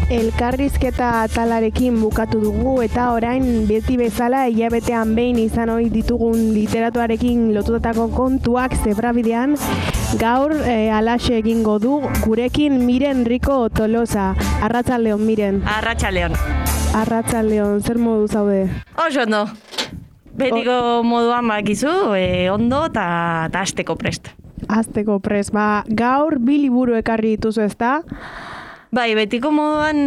Elkarrizketa atalarekin bukatu dugu eta orain beti bezala hilabetean behin izan ohi ditugun literatuarekin lotutako kontuak zebrabidean gaur alaxe egingo du gurekin Miren Rico Tolosa. Arratsaldeon Miren. Arratsaldeon. Arratsaldeon, zer modu zaude? Oso ondo. Betiko moduan bakizu, ondo eta hasteko prest. Hasteko prest, gaur bi liburu ekarri dituzu ezta? Bai, betiko moduan,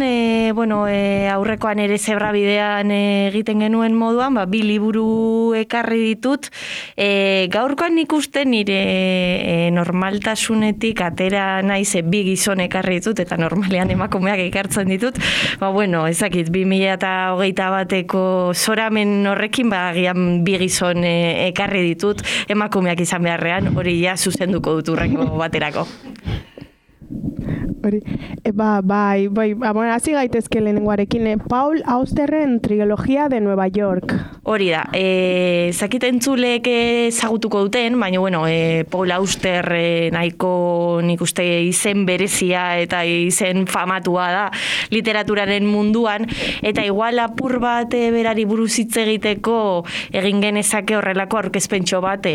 aurrekoan ere zebrabidean egiten genuen moduan, bi liburu ekarri ditut. Gaurkoan nik uste nire normaltasunetik atera naiz bi gizon ekarri ditut, eta normalean emakumeak ekartzen ditut. Ezakit, 2021ko zoramen horrekin, agian bi gizon ekarri ditut, emakumeak izan beharrean, hori ja zuzenduko dut urrengo baterako. Hasi gaitezke lehenengoarekin, Paul Austerren Trilogia de Nueva York. Hori da, zakiten entzulek ezagutuko duten, baina Paul Auster nahiko nik uste izen berezia eta izen famatua da literaturaren munduan, eta igual apur bat berari buruz hitz egiteko egin genezake horrelako aurkezpentxo bat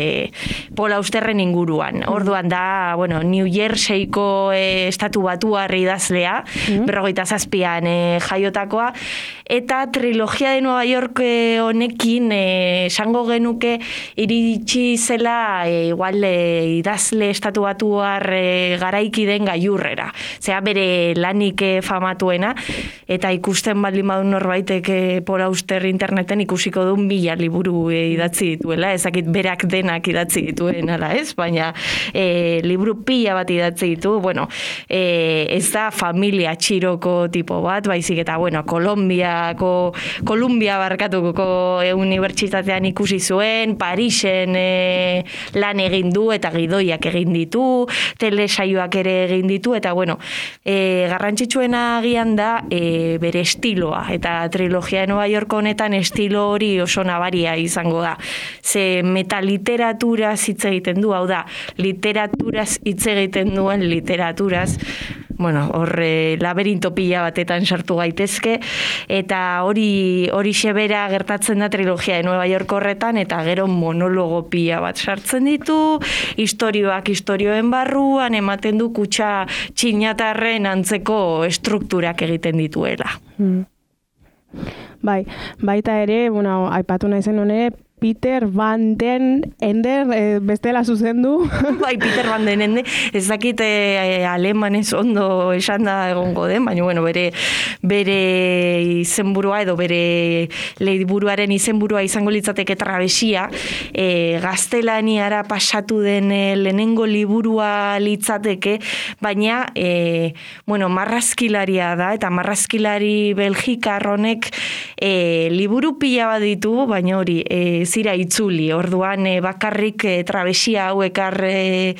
Paul Austerren inguruan. Orduan da, New Jerseyko estatu batuar idazlea, 57an jaiotakoa, eta Trilogia de Nueva York honekin esango genuke iritsi zela idazle estatu batuar garaiki den gailurrera. Zera bere lanik famatuena, eta ikusten baldin badun norbaitek Paul Auster interneten ikusiko duen 1000 liburu idatzi dituela, ezakit berak denak idatzi dituen, ala ez? Baina liburu pila bat idatzi ditu, ez da familia txiroko tipo bat, baizik eta, Kolumbia barkatuko unibertsitatean ikusi zuen, Parisen lan egin du eta gidoiak egin ditu, telesaioak ere egin ditu, eta garrantzitsuena agian da bere estiloa, eta Trilogia de Nueva York honetan estilo hori oso nabaria izango da. Ze metaliteratura hitz egiten du, hau da, literaturaz hitz egiten duen literaturaz, laberinto pila batetan sartu gaitezke, eta hori xebera gertatzen da Trilogia de Nueva York horretan, eta gero monologo pila bat sartzen ditu, istorioen barruan ematen du kutxa txinatarren antzeko estrukturak egiten dituela. Baita ere, aipatu naizen hone, Peter Van den Ender bestela zuzendu. Peter Van den Ender, ez dakit alemanez ondo esan da egongo den, baina bere izenburua edo bere liburuaren izenburua izango litzateke Trabesia, gaztelaniara pasatu den lehenengo liburua litzateke, baina marrazkilaria da, eta marrazkilari belgikar honek liburu pila bat ditu, baina hori zira itzuli, orduan bakarrik Trabesia hau ekarri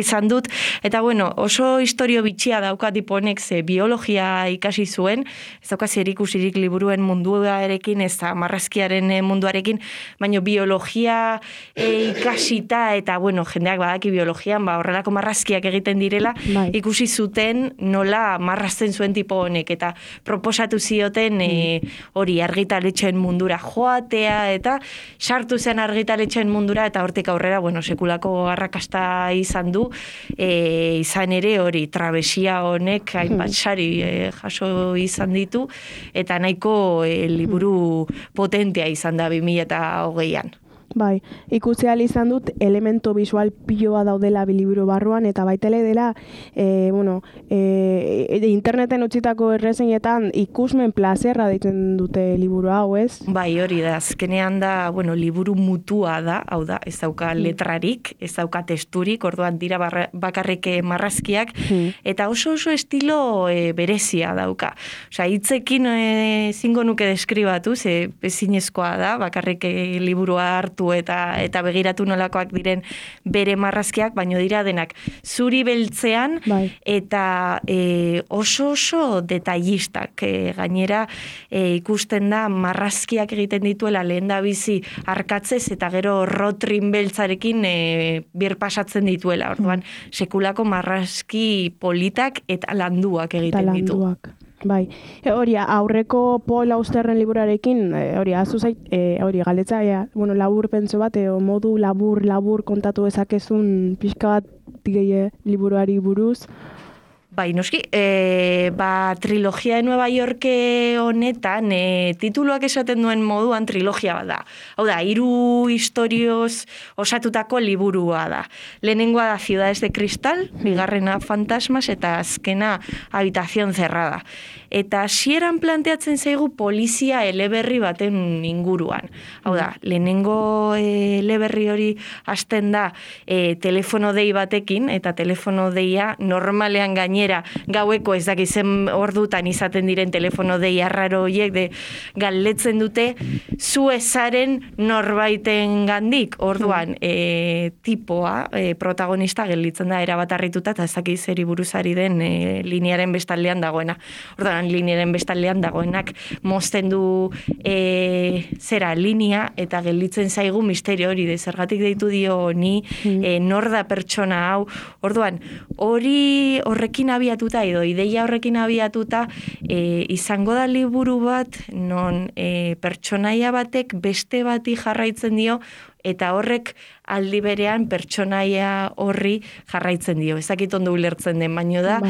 izan dut, eta oso historio bitxia dauka tiponek, ze biologia ikasi zuen, ez dauka zerikusirik liburuen munduarekin, ez da marrazkiaren munduarekin, baina biologia ikasita, eta jendeak badaki biologian, horrelako marrazkiak egiten direla, ikusi zuten nola marrazten zuen tipo honek, eta proposatu zioten hori argitaletxen mundura joatea, eta sartu zen argitaletxen mundura, eta hortik aurrera, sekulako arrakasta izan du, izan ere hori Trabesia honek hainbat sari jaso izan ditu, eta nahiko liburu potentea izan da 2020an. Ikusi ahal izan dut elemento visual piloa daudela biliburu barruan, eta baitele dela interneten utzitako errezenetan ikusmen plazerra ditzen dute liburu hau, ez? Hori da, azkenean da, liburu mutua da, hau da, ez dauka letrarik, ez dauka testurik, orduan dira bakarrik marrazkiak, eta oso estilo berezia dauka. Hitzekin zingo nuke deskribatu, ze ezinezkoa da, bakarrik liburua hartu eta begiratu nolakoak diren bere marrazkiak, baino dira denak zuri beltzean, eta oso detailistak. Gainera ikusten da marrazkiak egiten dituela lehen da bizi arkatzez, eta gero rotrin beltzarekin birpasatzen dituela. Orduan, sekulako marrazki politak eta landuak egiten ditu. Bai, hori aurreko Paul Austerren liburarekin, hori hori galetza, labur pentso bat, modu labur kontatu ezakezun pixka bat liburuari buruz. Bai, noski, trilogia de Nueva York honetan, tituluak esaten duen moduan trilogia bat da. Hau da, 3 istorioz osatutako liburua da. Lehenengoa da Ciudades de Cristal, bigarrena Fantasmas, eta azkena Habitación Cerrada. Eta hasieran planteatzen zaigu polizia eleberri baten inguruan. Hau da, lehenengo eleberri hori hasten da telefono dei batekin, eta telefono deia normalean gainera gaueko ez dakizen ordutan izaten diren telefono dei arraro horiek galdetzen dute zu ezaren norbaiten gandik. Orduan, tipoa, protagonista gelditzen da erabat harrituta, eta ez dakiz zeri buruzari den linearen bestaldean dagoena. Orduan, linearen bestaldean dagoenak mozten du linea, eta gelditzen zaigu misterio hori, zergatik deitu dio ni, nor da pertsona hau. Orduan, horrekin abiatuta, edo ideia horrekin abiatuta, izango da liburu bat, non pertsonaia batek beste bati jarraitzen dio, eta horrek aldi berean pertsonaia horri jarraitzen dio. Ezakit ondo ulertzen den, baino da,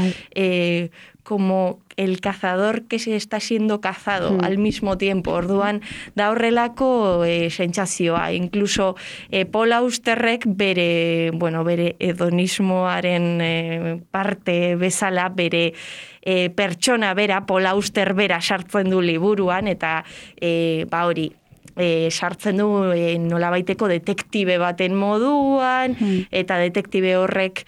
como el cazador que se está siendo cazado al mismo tiempo. Orduan, da horrelako sentsazioa. Incluso Paul Austerrek bere hedonismoaren parte bezala, bere pertsona bera, Paul Auster bera sartzen du liburuan, eta hori, sartzen du nolabaiteko detektibe baten moduan, eta detektibe horrek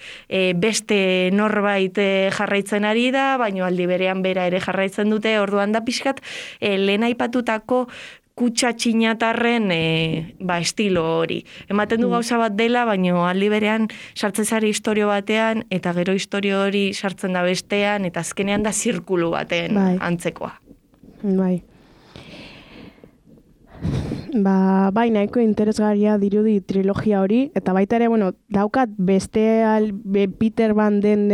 beste norbait jarraitzen ari da, baina aldi berean bera ere jarraitzen dute. Orduan da pixkat lehen aipatutako kutsa txinatarren estilo hori. Ematen du gauza bat dela, baina aldi berean sartzen zari historio batean, eta gero historio hori sartzen da bestean, eta azkenean da zirkulu baten antzekoa. Bai. Bai, nahiko interesgarria dirudi trilogia hori, eta baita ere, daukat beste Peter Van Den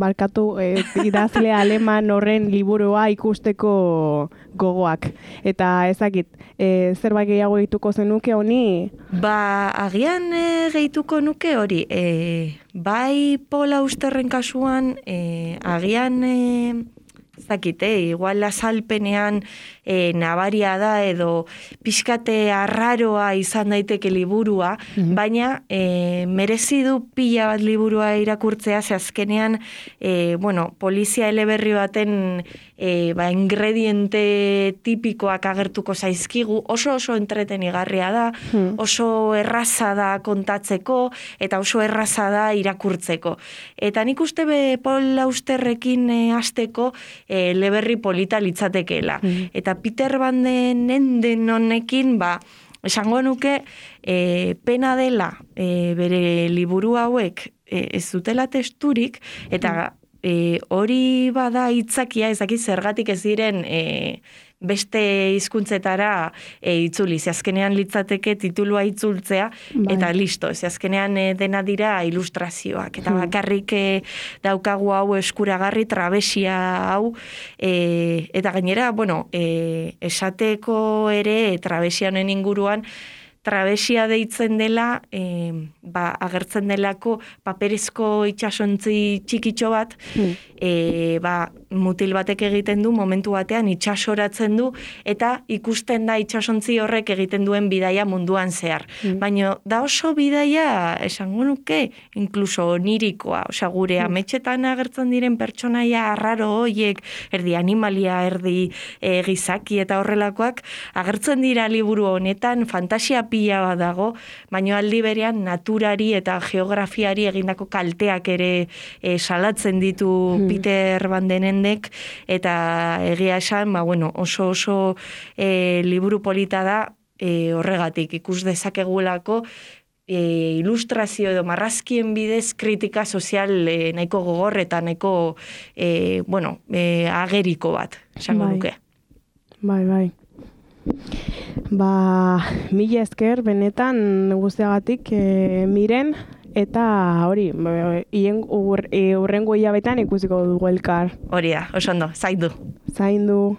barkatu idazle aleman horren liburua ikusteko gogoak. Eta ezakit, zerbait gehiago gehituko zenuke honi? Agian gehituko nuke hori. Bai Paul Austerren kasuan, agian igual azalpenean nabaria da, edo pixkate arraroa izan daiteke liburua, baina merezi du pila bat liburua irakurtzea, ze azkenean polizia eleberri baten ingrediente tipikoak agertuko zaizkigu, oso entretenigarria da, oso erraza da kontatzeko, eta oso erraza da irakurtzeko. Eta nik uste Paul Austerrekin hasteko eleberri polita litzatekeela. Eta Peter Van Den honekin, esango nuke, pena dela bere liburu hauek ez dutela testurik, eta hori bada hitzakia, ezakit zergatik ez diren beste hizkuntzetara itzuli. Azkenean litzateke titulua itzultzea, eta listo. Azkenean dena dira ilustrazioak. Eta bakarrik daukagu hau eskuragarri, trabesia hau, eta gainera, esateko ere trabesia honen inguruan, trabesia deitzen dela, agertzen delako paperezko itsasontzi txikitxo bat, mutil batek egiten du, momentu batean itsasoratzen du, eta ikusten da itsasontzi horrek egiten duen bidaia munduan zehar. Baina da oso bidaia, esango nuke, inkluso onirikoa, gure ametxetan agertzen diren pertsonaia arraro hoiek, erdi animalia, erdi gizaki eta horrelakoak, agertzen dira liburu honetan, fantasia pila bat dago, baina aldi berean naturari eta geografiari egindako kalteak ere salatzen ditu Peter Van Denendek, eta egia esan, oso liburu polita da horregatik, ikus dezakegulako ilustrazio edo marrazkien bidez kritika sozial nahiko gogor eta nahiko ageriko bat, esango nuke. Bai. Mila esker, benetan guztiagatik, Miren, eta hori, urrengo hilabetean ikusiko dugu elkar. Hori da, oso ondo, zaindu. Zaindu.